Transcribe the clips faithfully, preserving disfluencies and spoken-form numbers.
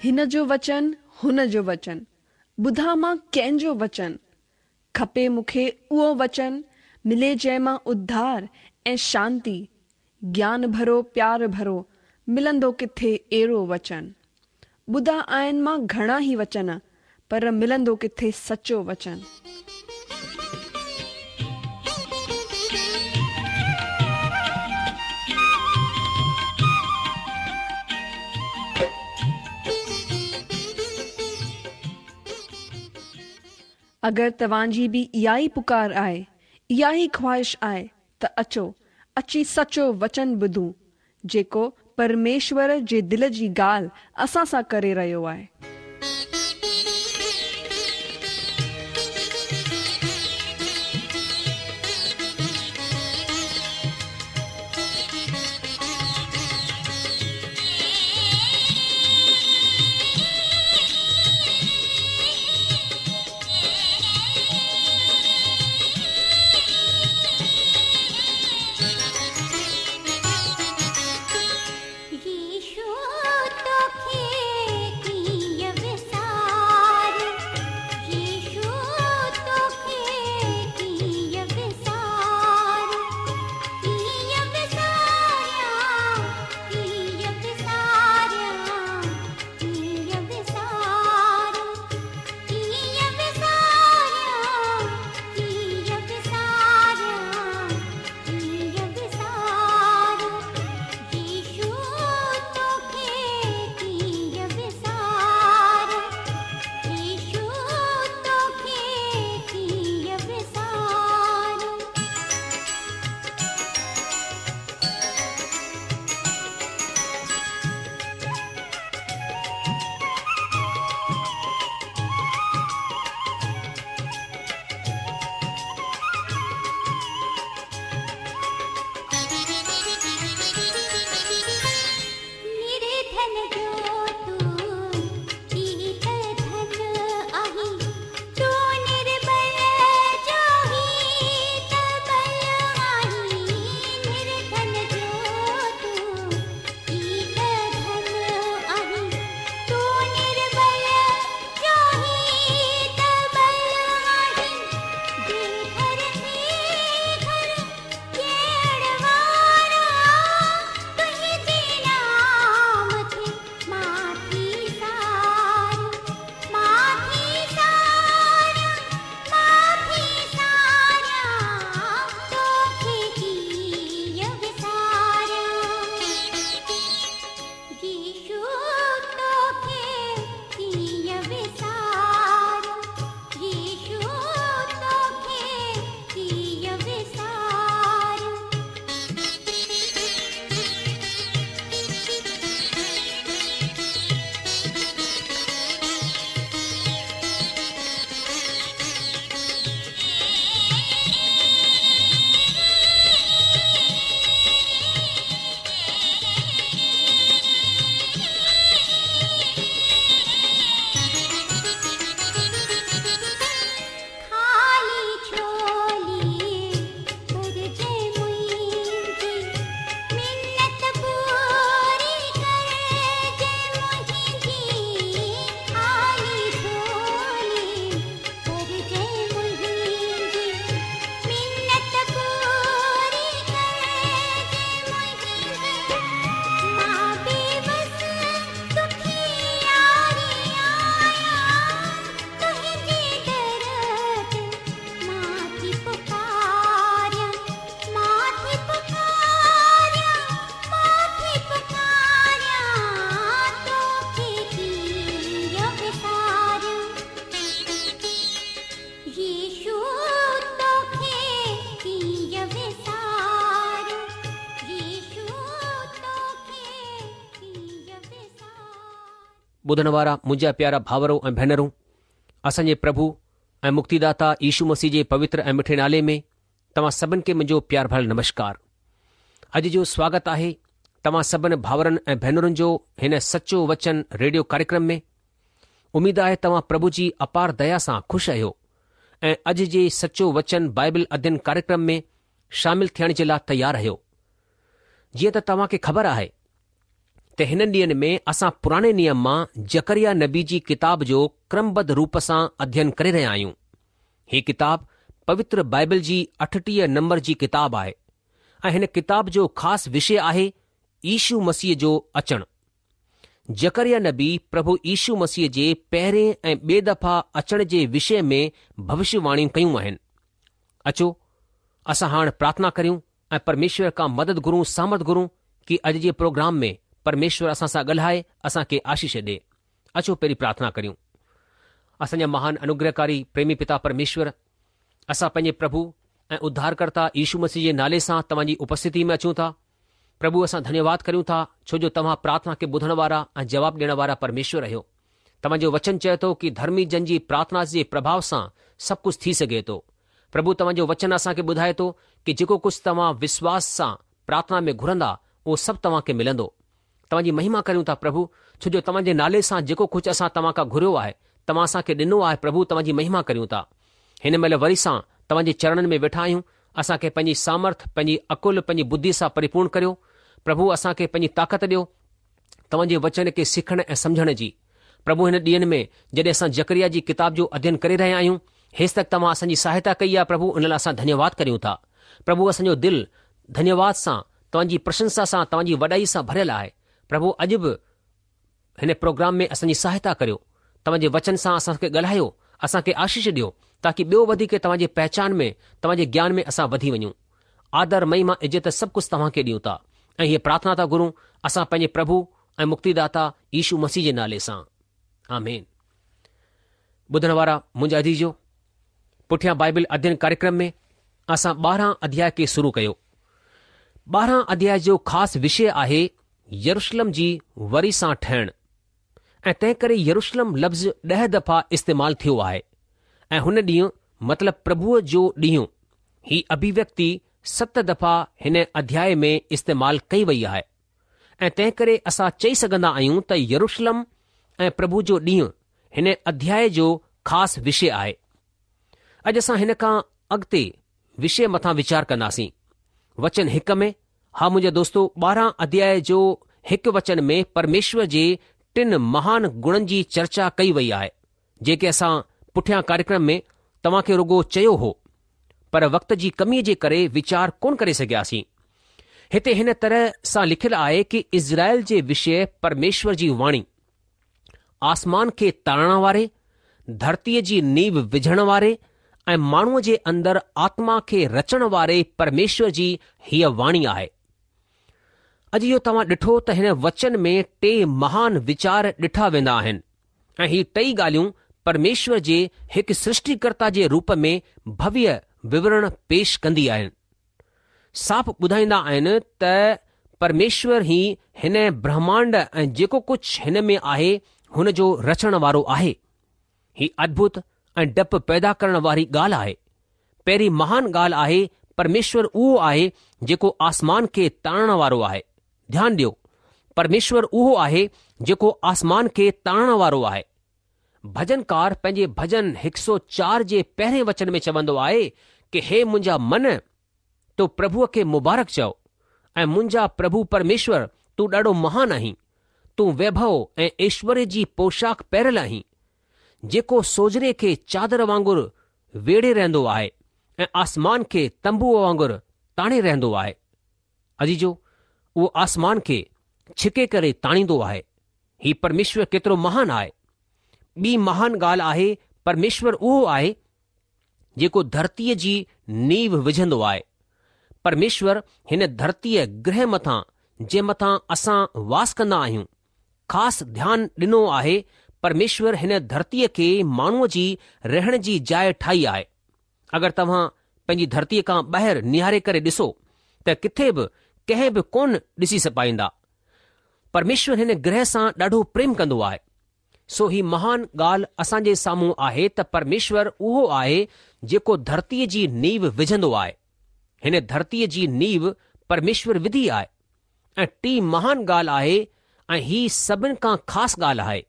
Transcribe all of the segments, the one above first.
हिन जो वचन हुन जो वचन, ॿुधां मां कंहिंजो वचन? खपे मूंखे उहो वचन, मिले जंहिं मां उद्धार ऐं शांती। ज्ञान भरो प्यार भरो, मिलंदो किथे अहिड़ो वचन? ॿुधा आहिनि मां घणा ई वचन, पर मिलंदो किथे सचो वचन? अगरि तव्हांजी बि इहा ई पुकार आहे, इहा ई ख़्वाहिश आहे त अचो, अची सचो वचन ॿुधूं, जेको परमेश्वर जे दिलि जी ॻाल्हि असां सां करे रहियो आहे। ॿुधण वारा मुंहिंजा प्यारा भावरो ऐं भेनरूं, असांजे प्रभु ऐं मुक्तिदाता यीशु मसीह जे पवित्र ऐं मिठे नाले में तव्हां सभिनि खे मुंहिंजो प्यार भरियल नमस्कार। अॼु जो स्वागत आहे तव्हां सभिनि भावरनि ऐं भेनरुनि जो हिन सचो वचन रेडियो कार्यक्रम में। उमेद आहे तव्हां प्रभु जी अपार दया सां ख़ुशि आहियो ऐं अॼु जे सचो वचन बाइबल अध्ययन कार्यक्रम में शामिल थियण जे लाइ तयारु आहियो। जीअं त तव्हांखे ख़बर आहे त ته هنن ڏينهن ۾ اسان پراڻي نيم مان زڪريا نبي جي ڪتاب جو ڪرمبڌ روپ سان اڌين ڪري رهيا آهيون. هي ڪتاب پوتر بائبل جي اٺٽيهه نمبر جي ڪتاب آهي ۽ هن ڪتاب جو خاص وشي آهي يشو مسيح جو اچڻ. زڪريا نبي پرڀو يشو مسيح جي پهرين ۽ ٻئي دفعا اچڻ جي وشي ۾ ڀوشيواڻيون ڪيون آهن. اچو اسان هاڻ پرارٿنا ڪريون ۽ پرميشور کان مدد گهرون سامرٿ گهرون ڪي اڄ جي پروگرام ۾ پرميشور اسان سان ڳالهائي اسان کي آشيش ڏي. اچو پهرين پرارٿنا ڪريون. اسان جا مهان انوگرهڪاري پريمي پتا پرميشور، اسان پنهنجي پرڀو ۽ اڌارڪرتا يشو مسيح جي نالي سان توهان جي اپسٿتي ۾ اچون ٿا. پرڀو اسان ڌنيواد ڪريون ٿا ڇو جو توهان پرارٿنا کي ٻڌڻ وارا ۽ جواب ڏيڻ وارا پرميشور آهيو. توهان جو وچن چئي ٿو ڪي ڌرمي جن جي پرارٿنا جي پرڀاو سان سڀ ڪجهه ٿي سگهي ٿو. پرڀو توهان جو وچن اسان کي ٻڌائي ٿو ڪي جيڪو ڪجهه توهان وشواس سان پرارٿنا ۾ گهرندا اهو سڀ توهان کي ملندو. توهان جي مهما ڪريون ٿا پرڀو ڇو جو توهان جي نالي سان جيڪو ڪجهه اسان توهان کان گهريو آهي توهان اسان کي ڏنو آهي پرڀو توهان جي مهما ڪريون ٿا. هن مهل وري سان توهان جي چرڻن ۾ ويٺا آهيون اسان کي پنهنجي سامرٿ پنهنجي عقل پنهنجي ٻڌي سان پريپورڻ ڪريو پرڀو اسان کي پنهنجي طاقت ڏيو توهان جي وچن کي سکڻ ۽ سمجهڻ جي. پرڀو هن ڏينهن ۾ جڏهن اسان زڪريا جي ڪتاب جو اڌين ڪري رهيا آهيون هيستڪ توهان اسان جي سهائتا ڪئي آهي پرڀو ان لاء اسان ڌنيواد ڪريون ٿا. پرڀو اسان جو دل ڌنيواد سان توهان جي پرشنسا سان توهان جي وڏائي سان ڀريل آهي. پرڀو اڄ به هن پروگرام ۾ اسان جي سهائتا ڪريو. توهان جي وچن سان اسان کي ڳالهايو اسان کي آشيش ڏيو تاڪه ٻيو وڌيڪ توهان جي پهچان ۾ توهان جي گيان ۾ اسان وڌي وڃون. آدر مهما عزت سڀ ڪجهه توهان کي ڏيون ٿا ۽ هيء پرارٿنا ٿا گهرون اسان پنهنجي پرڀو ۽ مڪتيداتا يشو مسيح جي نالي سان. آمين. ٻڌڻ وارا منهنجا عزيزو پٺيان بائبل اڌين ڪاريڪرم ۾ اسان ٻارهن اڌياء کي شروع ڪيو. ٻارهن اڌياء جو خاص وشي آهي يروشلم جي وري سان ٺهڻ ۽ تنهن ڪري يروشلم لفظ ڏهه دفعا استعمال ٿيو آهي ۽ هن ڏينهن مطلب پرڀوء جو ڏينهن هي اڀيويڪتي ست دفعا هن اڌياء ۾ استعمال ڪئي وئي آهي ۽ تنهن ڪري اسان چئي سگهندا آهيون ته يروشلم ۽ پرڀو جو ڏينهن هن اڌياء جو خاص وشي آهي. اڄ اسان هن کان اڳتي وشي مٿان ويچار ڪنداسين. وچن هڪ ۾ ها منهنجا دوستو ٻارهن اڌياء جو هڪ وچن ۾ پرميشور جي ٽن مهان گڻن جي چرچا ڪئي وئي آهي جيڪي اسان پٺيان ڪاريڪرم ۾ توهان کي رڳو چيو هو پر وقت جي ڪميء جي ڪري ويچار ڪونه ڪري سگهياسين. هتي هن طرح سان لکيل آهي ڪي اسرائيل جي وشي پرميشور جي واڻي، آسمان کي تاڻڻ واري، ڌرتيء جي نيو وجهڻ واري ۽ ماڻهوء جي اندر آتما کي رچڻ واري پرميشور جي هيء واڻي آهي. اڄ اهو توهان ڏٺو ته هن وچن ۾ ٽي مهان ويچار ڏٺا ويندا آهن ۽ هي ٽئي ڳالهيون پرميشور جي هڪ سرشٽيڪرتا جي روپ ۾ ڀويه وورڻ پيش ڪندي آهن. صاف ٻڌائيندا آهن ته پرميشور ئي هن برهمانڊ ۽ جيڪو ڪجهه هن ۾ آهي هن جو رچڻ وارو آهي. هي ادڀت ۽ ڊپ پيدا ڪرڻ واري ڳالهه آهي. پهرين مهان ڳالهه آهي پرميشور اهو آهي جيڪو آسمان کي تاڻڻ وارو آهي. ڌيان ڏيو پرميشور اهو آهي جيڪو آسمان کي تاڻڻ وارو آهي. ڀجنڪار پنهنجي ڀجن هڪ سؤ چار جي پهرين وچن ۾ چوندو آهي ڪي هي منهنجا من تون پرڀوء کي مبارڪ چئو ۽ منهنجا پرڀو پرميشور تون ڏاڍو مهان آهين، تون ويڀو ۽ ايشوريه جي پوشاڪ پهريل آهين، جيڪو سوجهري کي چادر وانگر ويڙهي رهندو آهي ۽ آسمان کي تنبوء وانگر تاڻي رهندو آهي. عزيزو، اهو آسمان کي ڇڪي ڪري تاڻيندو آهي. هي پرميشور ڪيترو مهان آهي. ٻي مهان ڳالهه آهي پرميشور اهو آهي جيڪو ڌرتيء جي نيو وجهندو آهي. پرميشور هن ڌرتيء گرهه مٿان جنهن مٿان اسان واس ڪندا آهيون، خاص ڌيان ڏنو آهي، پرميشور هن ڌرتيء کي ماڻهوء جي رهڻ جي جاء ٺاهي آهي. اگر توهان پنهنجي ڌرتيء کان ٻاهر نهاري ڪري ڏسو ته ڪٿي به ڪنهن به ڪونه ڏسي پائيندا. پرميشور هن گرهه سان ڏاڍو پريم ڪندو آهي. سو هي مهان ڳالهه اسان جي سامهون آهي ته پرميشور اهو آهي جيڪو ڌرتيء جي نيو وجهندو آهي. هن ڌرتيء جي نيو پرميشور وڌي آهي. ۽ ٽين مهان ڳالهه آهي ۽ هي سڀن کان خاص ڳالهه آهي،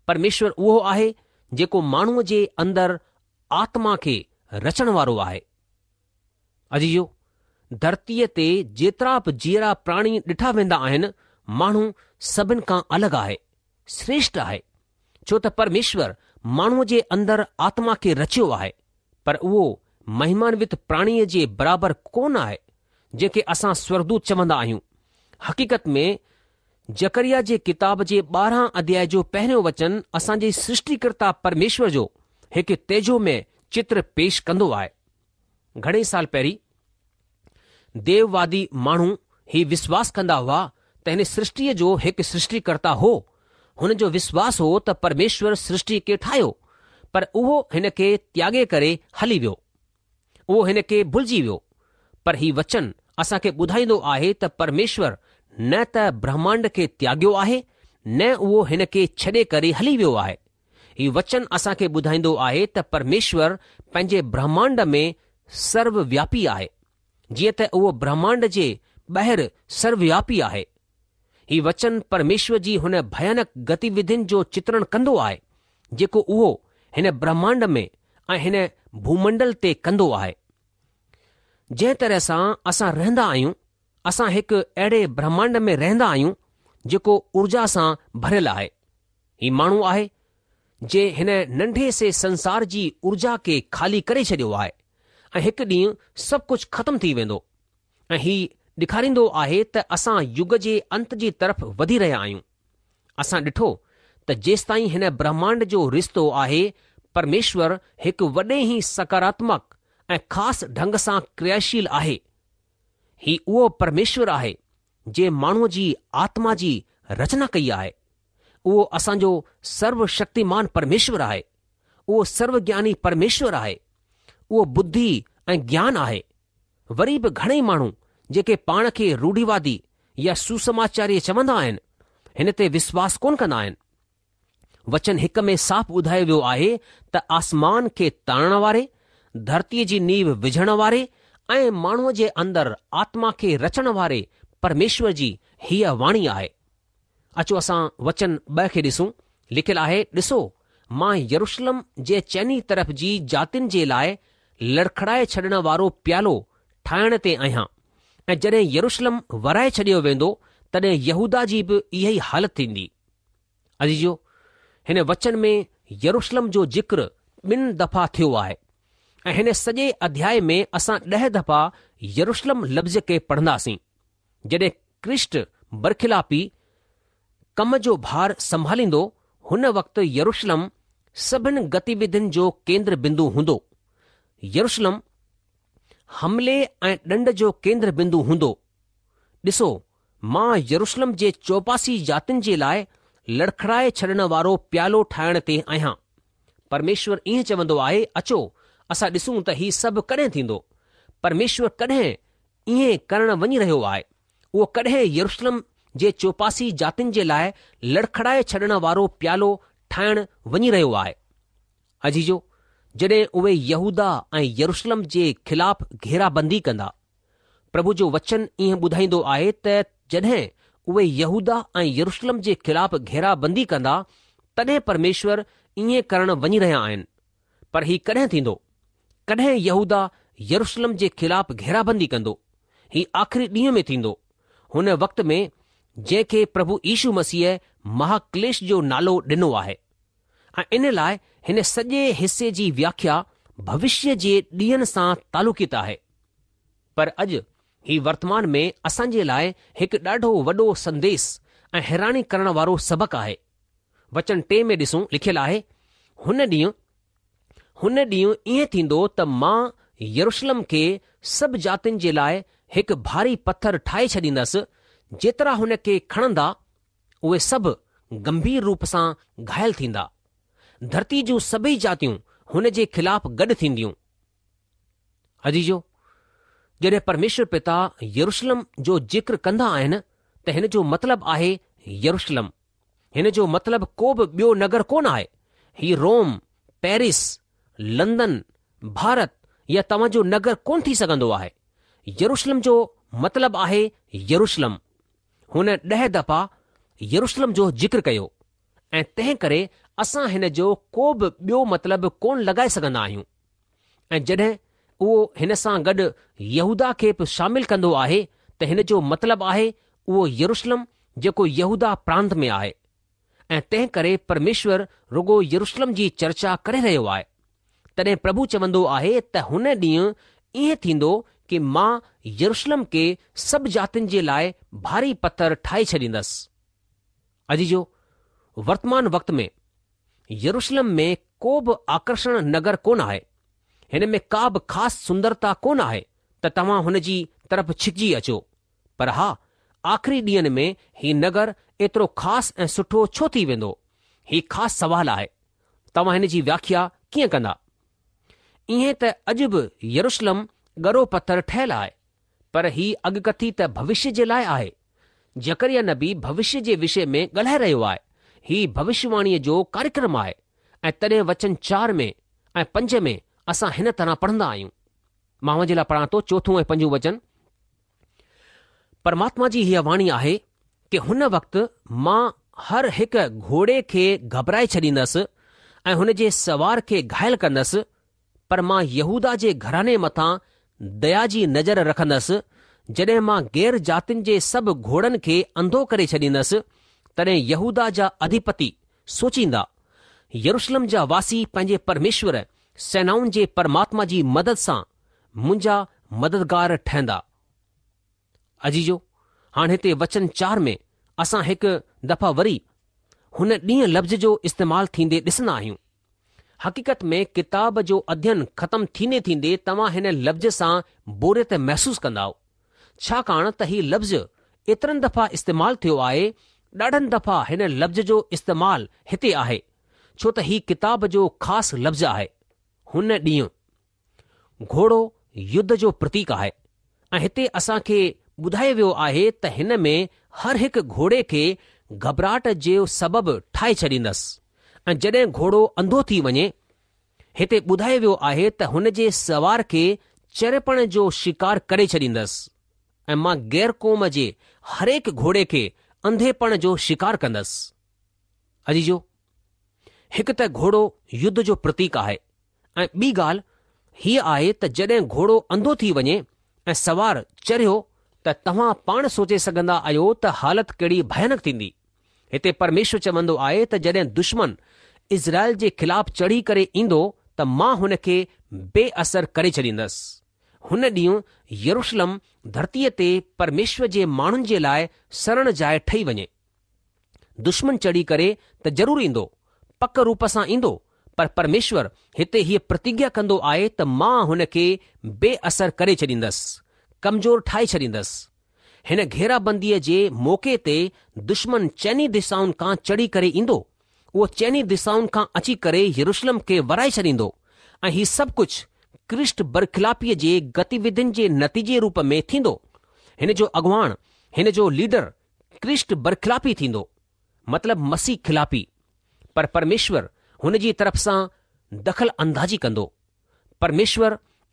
پرميشور اهو آهي جيڪو ماڻهوء جي اندر آتما کي رچڻ وارو آهي. عزيزو! ڌرتيء تي جيترا به جيئرا پراڻي ڏٺا ويندا آهن، ماڻهو سڀن کان الڳ آهي، شريشٺ آهي، ڇو ته پرميشور ماڻهوء جي اندر آتما کي رچيو آهي، پر اهو مهمانوت پراڻيء جي برابر ڪونه آهي، جنهن کي اسان سورگدوت چوندا آهيون. حقيقت ۾ زڪريا جي ڪتاب جي ٻارهن اڌيائي جو پهريون وچن اسان جي سرشٽيڪرتا پرميشور جو هڪ تيجومي چتر پيش ڪندو آهي. گهڻي سال پهرين ديووادي ماڻهو هي وشواس ڪندا هئا ته هن سرشٽيء جو هڪ سرشٽيڪرتا هو. هن جو وشواس هو ته پرميشور سرشٽيء کي ٺاهيو، پر اهو هن کي تياڳي ڪري هلي ويو. اهو هن کي ڀلجي ويو. پر هي وچن اسان کي ٻڌائيندو آهي ته پرميشور نه ته برهمانڊ کي تياڳيو آهي، نه اهو هن کي ڇڏي ڪري هلي ويو آهي. هي وچن اسان کي ٻڌائيندو آهي ته پرميشور پنهنجي برهمانڊ ۾ سرووياپي آهي، جيئن ته اهو برهمانڊ جي ٻاهر سرووياپي آهي. هي وچن پرميشور جي هن ڀيانڪ گتيوڌين جو چترڻ ڪندو آهي، جيڪو اهو هن برهمانڊ ۾ ۽ هن ڀومنڊل تي ڪندو آهي. جنهن طرح سان اسان رهندا آهيون، اسان هڪ اهڙي برهمانڊ ۾ رهندا آهيون، جيڪو اورجا سان ڀريل آهي. هي ماڻهو آهي، جنهن هن ننڍي سي سنسار جي اورجا کي خالي ڪري ڇڏيو آهي ۽ هڪ ڏينهن سڀ ڪجهه ختم ٿي ويندو ۽ هي ڏيکاريندو آهي ته اسان يگ جي انت جي طرف وڌي رهيا آهيون. اسان ڏٺو ته جيستائين هن برهمانڊ جو رشتو آهي پرميشور هڪ وڏي ئي سڪاراتمڪ ۽ خاص ڍنگ سان ڪرياشيل آهي. هي اهو پرميشور آهي جنهن ماڻهوء جي آتما جي رچنا ڪئي آهي. اهو اسان جو سرو شڪتيمان پرميشور آهي. اهو سرو گياني پرميشور آهي. اهو ٻڌي ۽ گيان آهي. وري به گهڻئي ماڻهو جيڪي پاڻ کي روڙهيوادي يا سوسماچاري چوندا آهن، هن تي وشواس ڪونه ڪندا آهن. وچن هڪ ۾ صاف ٻڌايو ويو آهي ته آسمان کي تاڻڻ واري، ڌرتيء جي نيو وجهڻ واري ۽ ماڻهوء جي اندر آتما کي رچڻ واري پرميشور جي هيء واڻي آهي. اچو اسان وچن ٻه کي ڏسون. لکيل آهي، ڏسو، مان يروشلم جي چئني طرف جي جاتين جي لاء لڙکڙائي ڇڏڻ وارو پيالو ٺاهڻ تي آهيان ۽ جڏهن يروشلم ورائي ڇڏيو ويندو تڏهن يهوداه جي به اها ئي حالت ٿيندي. عزيزو! هن وچن ۾ يروشلم جو ذڪر ٻن دفعا ٿيو آهي ۽ هن سڄي اڌياء ۾ اسان ڏهه دفعا يروشلم لفظ کي پڙهنداسين. جڏهن ڪرسٽ برخلافي ڪم جو ڀار سنڀاليندو، هن وقت يروشلم سڀن گتيوڌين جو ڪيندر بندو هوندو. يروشلم حملي ۽ ڏنڊ جو ڪيندر بندو هوندو. ڏسو، مان يروشلم جي چوپاسي جاتين جي لاء لڙکڙائي ڇڏڻ وارو پيالو ٺاهڻ تي آهيان. پرميشور ائين چوندو آهي، اچو، اسان ڏسون ته هي سڀ ڪڏهن ٿيندو. پرميشور ڪڏهن ائين ڪرڻ وڃي رهيو آهي. اهو ڪڏهن يروشلم جي چوپاسي جاتين جي لاء لڙکڙائي ڇڏڻ وارو پيالو ٺاهڻ وڃي رهيو آهي. عزيزو، جڏهن اهي يهوداه ۽ يروشلم جي خلاف گهيرابندي ڪندا. پرڀو جو وچن ائين ٻڌائيندو آهي ته جڏهن اهي يهوداه ۽ يروشلم جي خلاف گهيرابندي ڪندا، تڏهن پرميشور ائين ڪرڻ وڃي رهيا آهن. پر هي ڪڏهن ٿيندو؟ ڪڏهن يهوداه يروشلم جي خلاف گهيرابندي ڪندو؟ هي آخري ڏينهن ۾ ٿيندو، هن وقت ۾ جنهن کي پرڀو يشو مسيح مهاڪليش جو نالو ڏنو آهي. ۽ ان لاء هن سڄي حصي جي وياکيا ڀوشيه جي ڏينهن سان تعلقيت آهي. پر اڄ هي ورتمان ۾ اسان جي لاء هڪ ڏاڍو وڏو سنديس ۽ حيراني ڪرڻ وارو سبق آهي. وچن ٽي ۾ ڏسون لکيل آهي، هن ڏينهن هن ڏينهن ائين ٿيندو ته مان يروشلم کي سڀ جاتين جي لاء هڪ ڀاري پٿر ٺاهي ڇڏيندس، جيترا هن کي کڻندا، اهي سڀ گنڀير روپ سان گهايل ٿيندا. ڌرتيء جون سڀئي جاتيون هن جي خلاف گڏ ٿينديون. عزيزو! جڏهن پرميشور پتا يروشلم جو ذڪر ڪندا آهن ته هن جو مطلب آهي يروشلم. هن جو مطلب ڪو به ٻيو نگر ڪونه آهي. هي روم، پيرس، لندن، ڀارت يا توهان جو نگر ڪونه ٿي سگهندو آهي. يروشلم جو مطلب آهي يروشلم. هن ڏهه دفعا يروشلم جو ذڪر ڪيو ۽ تنهن ڪري اسان هن جو ڪو به ٻيو مطلب ڪونه لڳائي سگهندا آهيون. ۽ جڏهن اهو هن سان گڏ يهوداه کي به شامل ڪندو آهي ته هن جو مطلب آهي اهو يروشلم جيڪو يهوداه پرانت ۾ آهي ۽ تنهن ڪري پرميشور رڳو يروشلم جي چرچا ڪري رهيو آهي. تڏهن پرڀو چوندو آهي ته هن ڏينهن ائين ٿيندو ڪي مان يروشلم کي سڀ جاتين جي لاء ڀاري پٿر ٺاهي ڇڏيندس. عزيزو، ورتمان وقت ۾ يروشلم ۾ ڪو به آڪرشڻ نگر ڪونه آهي. هن ۾ ڪا به خاص سندرتا ڪونه آهي ته توهان هن جي طرف ڇڪجي اچو. پر ها، آخري ڏينهن ۾ هي نگر ايترو خاص ۽ سٺو ڇو ٿي ويندو؟ هي خاص سوال آهي. توهان هن جي وياکيا ڪيئن ڪندا؟ ائين ته اڄ به يروشلم ڳرو پٿر ٺهيل آهي، پر هي اڳڪٿي ته ڀوشيه جي لاء آهي. زڪريا نبي ڀوشيه جي وشي ۾ ڳالهائي رهيو آهي. هي ڀوشيواڻيء جو ڪاريڪرم آهي ۽ تڏهن وچن چار ۾ ۽ پنج ۾ اسان هن طرح پڙهندا آهيون. مان اوهان جي لاء پڙهان ٿو چوٿون ۽ پنجون وچن. پرماتما جي هيء واڻي آهي ڪي هن وقت مان هر هڪ گهوڙي کي گهٻرائي ڇڏيندس ۽ هن جي سوار کي گهائل ڪندس، پر مان يهوداه جي گهراڻي مٿان ديا جي نظر رکندس، جڏهن مان غير جاتين جي سڀ گهوڙن کي انڌو ڪري ڇڏيندس، تڏهن يهوداه جا اڌيپتي سوچيندا، يروشلم جا واسي پنهنجي پرميشور، سينائن جي پرماتما جي مدد سان منهنجا مددگار ٺهندا. عزيزو، هاڻ هتي وچن چار ۾ اسان هڪ دفعا وري هن ڏينهن لفظ جو استعمال ٿيندي ڏسندا آهيون. حقيقت ۾ ڪتاب جو اڌين ختم ٿيندي ٿيندي توهان هن لفظ سان بوريت محسوس ڪندائو. ڇاڪاڻ ته هي لفظ ايترن دفعا استعمال ٿيو آهي، ڏاڍن دفعا هن لفظ جو استعمال هتي آهي، ڇو ته هي ڪتاب جو خاص لفظ آهي، هن ڏينهن. گهوڙو يڌ جو پرتيڪ آهي ۽ هتي اسان کي ٻڌايو ويو آهي ته هن ۾ هر هڪ گهوڙي کي گهٻراهٽ جو سبب ٺاهي ڇڏيندس ۽ جڏهن گهوڙو انڌو ٿي وڃي، هتي ٻڌايو ويو آهي ته هن جي سوار کي چريپڻ جو شڪار ڪري ڇڏيندس ۽ مان غير قوم جي هرهڪ گهوڙي کي انڌيپڻ جو شڪار ڪندس. عزيزو! هڪ ته گهوڙو يڌ جو پرتيڪ آهي ۽ ٻي ڳالهه هيء آهي ته جڏهن گهوڙو انڌو ٿي وڃي ۽ سوار چريو ته توهان پاڻ سوچي سگهندا آهيو ته حالت ڪهڙي ڀيانڪ ٿيندي. هتي پرميشور چوندو آهي ته جڏهن دشمن اسرائيل جي خلاف چڙهي ڪري ايندو ته مان هن کي بي اثر ڪري ڇڏيندس. هن ڏينهن يروشلم ڌرتيء تي پرميشور جي ماڻهن جي لاء سرڻ جاء ٺهي وڃي. دشمن چڙهي ڪري ته ضرور ايندو، پڪ روپ سان ايندو، پر پرميشور هتي هيء پرتگيا ڪندو آهي ته مان هن کي بي اثر ڪري ڇڏيندس، ڪمزور ٺاهي ڇڏيندس. هن گهيرابنديء جي موقعي تي دشمن چئني دشائن کان چڙهي ڪري ايندو، اهو چئني دشائن کان اچي ڪري يروشلم کي ورائي ڇڏيندو ۽ هي سڀ ڪجهه ڪرسٽ برخلافيء جي گتيوڌين جي نتيجي روپ ۾ ٿيندو. هن جو اڳواڻ، هن جو ليڊر ڪرسٽ برخلافي ٿيندو، مطلب مسيح خلافي، پر پرميشور هن جي طرف سان دخل اندازي ڪندو. پرميشور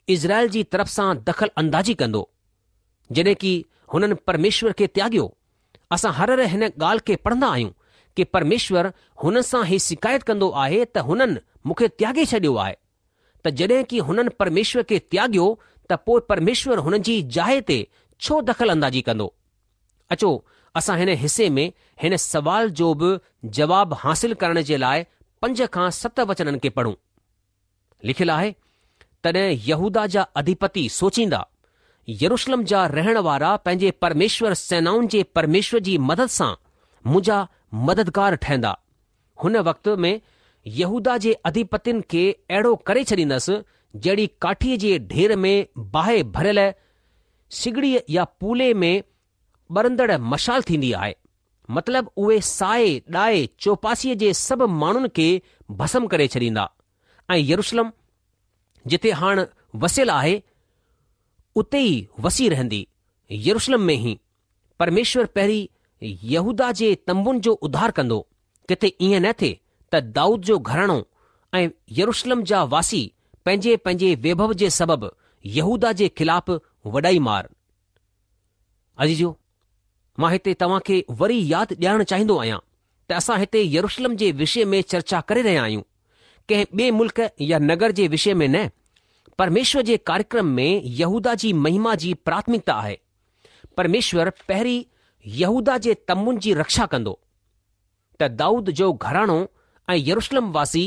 اسرائيل جي طرف سان دخل اندازي ڪندو. جڏهن ڪي هنن پرميشور کي تياڳيو. اسان هر هر هن ڳالهه کي پڙهندا آهيون ڪي پرميشور هنن سان هي شڪايت ڪندو آهي ته هنن مون کي تياڳي ڇڏيو آهي. ته جڏهن ڪي هنن پرميشور کي تياڳيو ته پوء پرميشور هنن جي جاء تي ڇو دخل اندازي ڪندو؟ اچو اسان هن حصي ۾ هن سوال جو به جواب حاصل ڪرڻ جي لاء پنج کان ست وچنن کي پڙهون. لکيل آهي، تڏهن يهوداه جا اڌيپتي سوچيندا، يروشلم جا رهڻ وارا پنهنجي پرميشور سينائن جي پرميشور جي مدد سان منهنجا مددگار ٺهندا. هن وقت ۾ يهوداه جي اڌيپتين کي اهڙو ڪري ڇڏيندس، جهڙي ڪاٺيء جي ڍير ۾ باهه ڀريل سگڙيء يا پولي ۾ ٻرندڙ مشال ٿيندي آهي، مطلب اهي ساهي ڏائي چوپاسيء جي سڀ ماڻهن کي ڀسم ڪري ڇڏيندا ۽ يروشلم جتي هاڻ وسيل آهي، اتي ئي وسي رهندي، يروشلم ۾ ئي. پرميشور پهرين يهوداه جي تنبن جو اڌار ڪندو، ڪٿي ائين نه ٿئي ته دائود جو گهراڻو ۽ يروشلم جا واسي پنهنجي پنهنجي ويڀو جي سبب يهوداه جي خلاف وڏائي مار. عزيزو، مان هتي توهان کي وري ياد ڏيارڻ چاهيندو آهيان ته اسان هتي يروشلم جي وشي ۾ چرچا ڪري رهيا آهيون، ڪنهن ٻئي ملڪ يا نگر جي وشي ۾ نه. پرميشور جي ڪاريڪرم ۾ يهوداه جي مهما جي پراٿمڪتا آهي. پرميشور پهرين يهوداه جي تنبن جي رڪشا ڪندو، ته دائود جو گهراڻو ۽ يروشلم واسي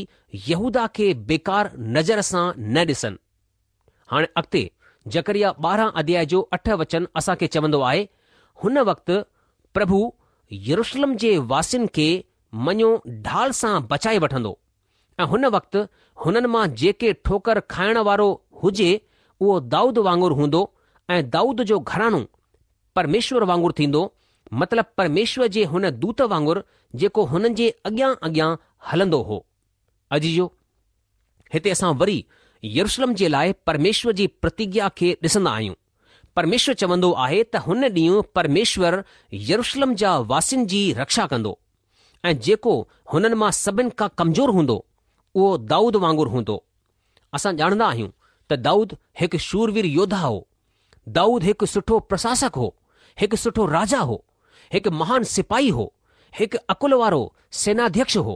يهوداه کي بيڪار نظر سان نه ڏسن. هاڻي اڳتي زڪريا ٻارهن اڌيائي جو اٺ وچن اسان کي چوندو آهي، هن وقت پرڀو يروشلم جي واسين کي مڃو ڍال سان بچائي وٺندو ۽ هن وقت هنن مان جيڪي ٺوڪر کائڻ وارو هجي اهو دائود وانگر هوندو ۽ دائود جو گهراڻو پرميشور وانگر ٿيندو، مطلب پرميشور جي هن دوت وانگر جيڪو هنن جي اڳيان اڳيان هلندو هو. عزيزو! هتي اسان وري يروشلم جي لاء پرميشور جي پرتگيا کي ڏسندا آهيون. پرميشور چوندو آهي ته هن ڏينهن پرميشور يروشلم جا واسين جي رڪشا ڪندو ۽ جيڪو هنن مان سڀن کان ڪمزور هوندو اهو دائود وانگر هوندو. اسان ڄاڻندا آهيون ته دائود هڪ شوروير يوڌا هو. دائود هڪ سٺو پرشاسڪ هو، هڪ سٺو راجا هو، هڪ مهان سپاهي هو، هڪ عقل وارو سيناڌيڪش هو.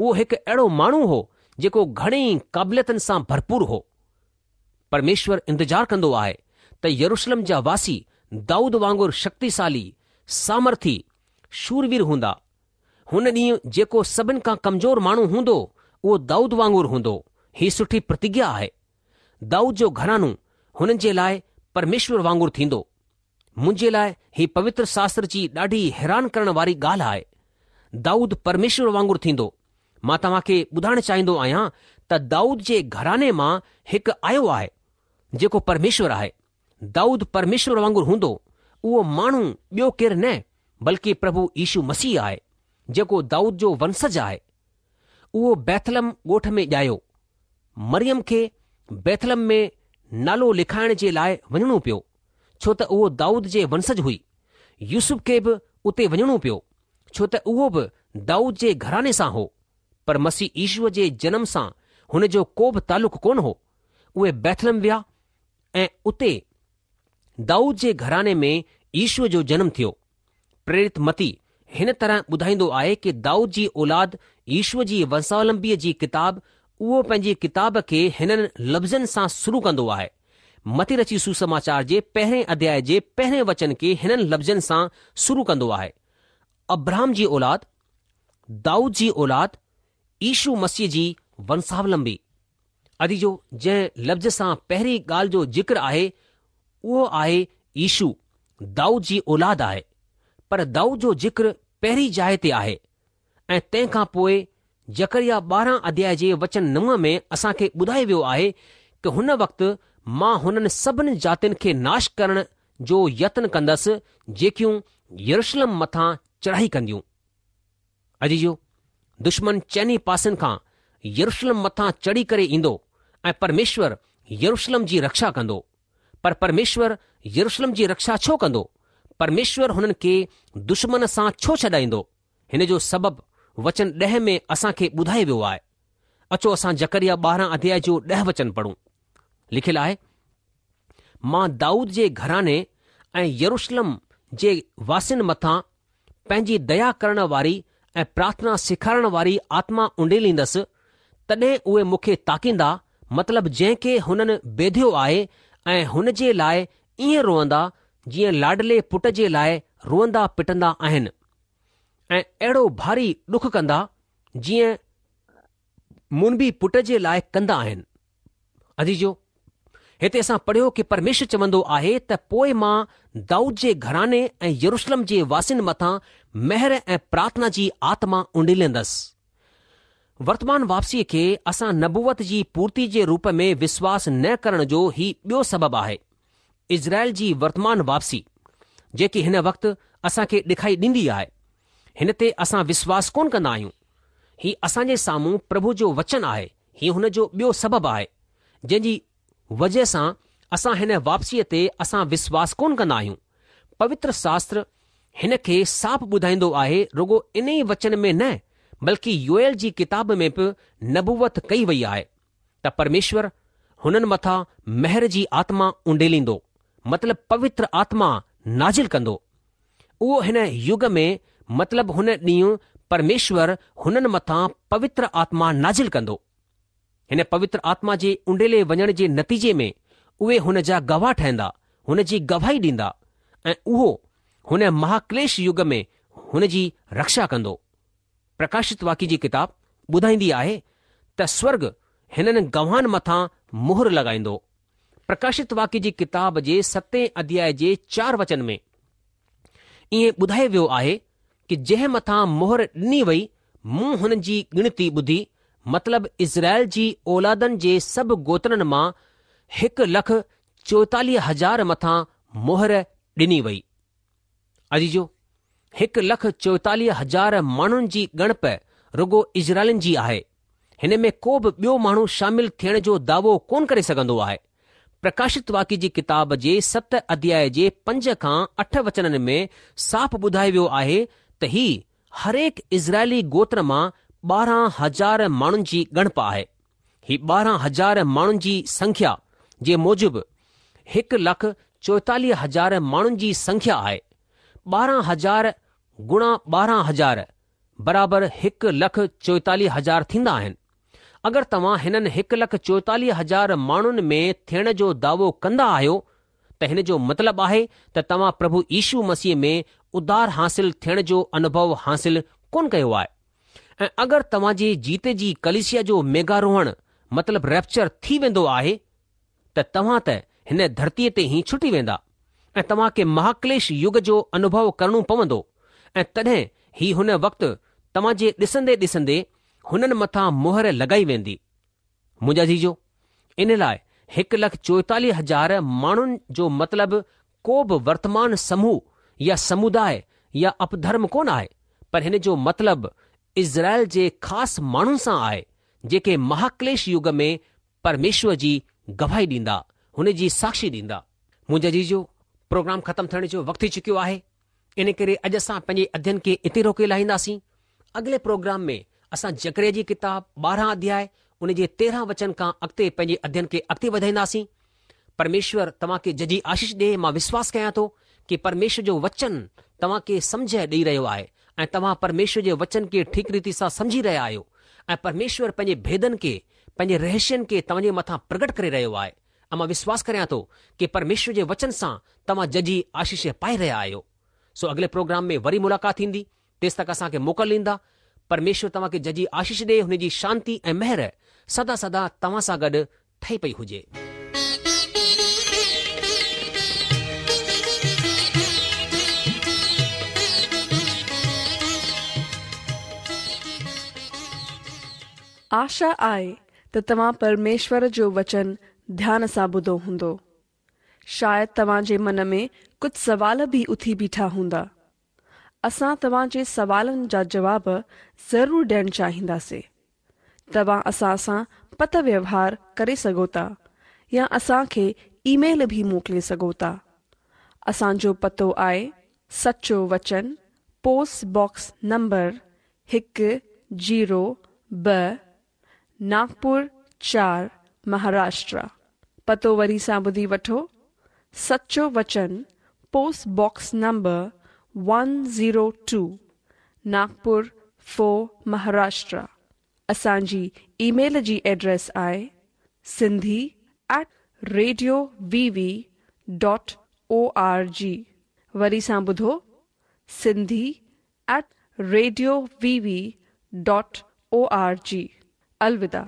اهو هڪ اهڙو ماڻهو هو جيڪو گهڻي قابليتن سان ڀرپور هو. پرميشور انتظار ڪندو آهي ته يروشلم جا واسي دائود وانگر شڪتيشالي، سامرٿي، شوروير هوندا. هن ڏينهن جيڪو سڀن کان ڪمزور ماڻهو هوندو اهو دائود وانگر هوندو. هي سٺي پرتگيا آهي. دائود جو گهراڻو هنن جي لاء پرميشور وانگر ٿيندو. منهنجي لاء هي پوتر شاستر جي ڏاڍي حيران ڪرڻ واري ڳالهه آهي. دائود پرميشور وانگر ٿيندو. مان توهان کي ٻڌائڻ چاهيندو آهيان ته دائود جي گهراڻي مان هڪ آيو آهي، جيڪو پرميشور آهي. دائود پرميشور وانگر هوندو. اهو ماڻهو ٻيو ڪير نه بلڪه پرڀو يشو مسيح آهي، جيڪو دائود جو ونسج آهي. اهو بيٿلحم ڳوٺ ۾ ڄايو. مريم کي بيٿلحم ۾ نالو لکائڻ جي لاء وڃڻو پيو، ڇو ته اهو دائود جي ونسج هئي. يوسف کي به اتي وڃڻو پيو، ڇو ته اهو به دائود جي گهراڻي سان هو. پر مسيح يشوء جي جنم سان هن جو ڪو به تعلق ڪونه هو. اهي بيٿلحم ويا ۽ اتي دائود جي گهراڻي ۾ يشوء جو جنم ٿيو. پريرت متي هن طرح ٻڌائيندو آهي ڪه دائود جي اولاد يشوء جي ونساولمبيء جي ڪتاب اهو پنهنجي ڪتاب کي هنن لفظن سان شروع ڪندو آهي. متي رچي سوسماچار جي پهرين اڌياء جي پهرين وچن کي هنن لفظن سان شروع ڪندو آهي، ابرهام جي اولاد، دائود جي اولاد، يشو مسيح جي ونساولمبي. عزيزو جنهن لفظ سان پهرين ڳالهه جو ذڪر آهي اهو آهي يشو دائود جي اولاد آهي پر دائود جو ذڪر پهرين جاء تي آهي ۽ تنهن کان پوء زڪريا ٻارهن اڌياء جي وچن نو ۾ اسان کي ٻڌايو ويو آهي ڪه هن وقت مان هنن سڀن جاتين کي ناش ڪرڻ جو يتن ڪندس جيڪيون يروشلم مٿان چڙهائي ڪنديون. عزيزو! دشمن چئني پاسن کان يروشلم مٿان چڙهي ڪري ايندو ۽ پرميشور يروشلم جي رڪشا ڪندو. پر پرميشور يروشلم جي رڪشا ڇو ڪندو؟ پرميشور هنن کي دشمن سان ڇو ڇڏائيندو؟ هن جو سبب وچن ڏهه ۾ اسان کي ٻڌايو ويو آهي. اچو اسان زڪريا ٻارهن اڌياء جو ڏهه وچن پڙهون. لکيل آهي، مان دائود جي گهراڻي ۽ يروشلم جي واسين مٿان پنهنجي ديا ڪرڻ واري ۽ پرارٿنا سيکارڻ واري آتما اونڊيليندس، تڏهن اهي مون کي تاڪيندا، مطلب جنهن کي هنن بيڌيو آهي ۽ هن جي لاء ائين روئندا، جيئن لاڏلي پٽ جي لاء روئندا پٽندا آهن، ۽ اهڙو ڀاري ڏک ڪندا، جيئن منبي پٽ جي لاء ڪندا آهن. عزيزو! هتي اسان پڙهيو ڪه پرميشور چوندو آهي ته پوء مان دائود جي گهراڻي ۽ يروشلم جي واسين مٿان مهر ۽ پرارٿنا جي آتما اونڊيليندس. ورتمان واپسيء کي اسان نبوت جي پورتي جي روپ ۾ وشواس نه ڪرڻ جو هي ٻيو سبب آهي. اسرائيل جي ورتمان واپسي، جيڪي هن وقت اسان کي ڏکائي ڏيندي آهي، هن تي اسان وشواس ڪونه ڪندا آهيون. هي اسان جي سامهون پرڀو جو وچن آهي، هي هن جو ٻيو سبب آهي، جنهن جي وجهه سان اسان هن واپسيء تي اسان وشواس ڪونه ڪندا آهيون. پوتر شاستر هن کي صاف ٻڌائيندو آهي، رڳو انهي وچن ۾ نه بلڪه يوئيل جي ڪتاب ۾ به نبوت ڪئي وئي آهي ته پرميشور هنن مٿان مهر جي آتما اونڊيليندو، مطلب پوتر آتما نازل ڪندو. اهو هن يگ ۾ مطلب هن ڏينهن پرميشور هنن مٿان پوتر آتما نازل ڪندو. هن پوتر آتما جي اونڊيلي وڃڻ جي نتيجي ۾ اهي هن جا گواهه ٺهندا، هن جي گواهي ڏيندا ۽ اهو هن مهاڪليش يگ ۾ هن جي رڪشا ڪندو. پرڪاشت واڪيه جي ڪتاب ٻڌائيندي آهي ته سورڳ هنن گواهن مٿان مهر لڳائيندو. پرڪاشت واڪيه جي ڪتاب جي ستين اڌياء جي چار وچن ۾ ائين ٻڌايو ويو آهي ڪه جنهن مٿان مهر ڏني وئي مون هن جي ڳڻتي ٻڌي، مطلب اسرائيل جي اولادن جي سڀ گوترن مان هڪ لک چوئيتاليهه هزار مٿان مهر ڏني وئي. عزيزو، هڪ لک چوئيتاليهه هزار ماڻهن جي ڳڻپ رڳو اسرائيلين جي آهي. هن ۾ ڪو به ٻيو ماڻهو شامل ٿيڻ جو دعوو ڪونه ڪري سگهندو آهي. پرڪاشت واڪيه جي ڪتاب جي ست اڌياء جي پنج کان اٺ وچنن ۾ صاف ٻڌايو ويو آهي ته هي هرهڪ اسرائيلي گوتر مان ٻارهن هزار ماڻهن جي ڳڻپ آهي. هي ٻارهن هزار ماڻهن جي سنکيا جي موجب هڪ لک چوئيتاليهه هزار ماڻهن جي سنکيا آهي. ٻارهن هزار گڻا ٻارهن هزار برابر هڪ لک چوئيتاليهه هزار ٿيندا آهن. اگر توهان هنن هڪ لک چوئيتاليهه هزار ماڻهن ۾ ٿيڻ جو دعوو ڪندا آهيو ته هن جو مطلب آهي ته توهان پرڀو يشو مسيح ۾ اڌار حاصل ٿيڻ جو انوڀو حاصل ڪونه ڪيو آهي ۽ اگر توهان جي جيئتي جي ڪليسيا جو ميگهاروهڻ مطلب ريپچر ٿي ويندو آهي ته توهان ته هن ڌرتيء تي ئي ڇٽي ويندا ۽ توهان کي مهاڪليش يگ جو انوڀو ڪرڻو پوندو ۽ تڏهن ئي هن وقت توهان جي ڏسندي ڏسندي هنن مٿان مهر لڳائي ويندي. منهنجا عزيزو، ان لاء هڪ لک چوئيتاليهه هزار ماڻهن جو مطلب ڪو به ورتمان سموهه يا سموداء يا اپڌرم ڪونه آهي، پر هن جو مطلب اسرائيل جي خاص ماڻهن سان آهي، جيڪي مهاڪليش يگ ۾ پرميشور جي گواهي ڏيندا، هن جي ساکشي ڏيندا. منهنجا عزيزو، پروگرام ختم ٿيڻ جو وقت ٿي چڪيو آهي، ان ڪري اڄ اسان پنهنجي اڌين کي اتي روڪي لاهينداسين. اڳلي پروگرام ۾ اسان زڪريا جي ڪتاب ٻارهن اڌياء ان جي تيرهن وچن کان اڳتي پنهنجي اڌين کي اڳتي وڌائينداسين. پرميشور توهان کي ججهي آشيش ڏي. مان وشواس ڪيان ٿو ڪي پرميشور جو وچن توهان کي سمجهه ڏئي رهيو آهي ۽ توهان پرميشور جي وچن کي ٺيڪ ريتي سان سمجهي رهيا آهيو ۽ پرميشور پنهنجي ڀيدن کي پنهنجي رهسين کي توهان جي مٿان پرگٽ ڪري رهيو آهي ۽ مان وشواس ڪريان ٿو ڪي پرميشور جي وچن سان توهان ججهي آشيش پائي رهيا آهيو. سو اڳلي پروگرام ۾ وري ملاقات ٿيندي تيستڪ اسان کي موڪل ڏيندا. پرميشور توهان کي ججهي آشيش ڏي هن جي شانتي ۽ مهر سدا سدا توهان سان گڏ ٺهي پئي هجي. آشا آهي ته توهان پرميشور جو وچن ڌيان سان ٻڌو هوندو. شايد توهان جي من ۾ ڪجهه سوال به اٿي بيٺا هوندا. اسان توهان جي سوالن جا جواب ضرور ڏيڻ چاهينداسين. توهان اسان سان پتر ويوهار ڪري سگهو ٿا يا اسان کي اي ميل به موڪلي سگهو ٿا. اسان جو پتو آهي سچو وچن پوسٽ باڪس نمبر هڪ زيرو ٻه ناگپور چار مهاراشٽر. پتو وري سان ٻڌي وٺو سچو وچن post box number one zero two Nagpur four Maharashtra. اسان جي اي ميل جي ايڊريس آهي Sindhi at radio V V dot O R G. وري سان ٻڌو Sindhi at radio V V dot O R G. الوداع.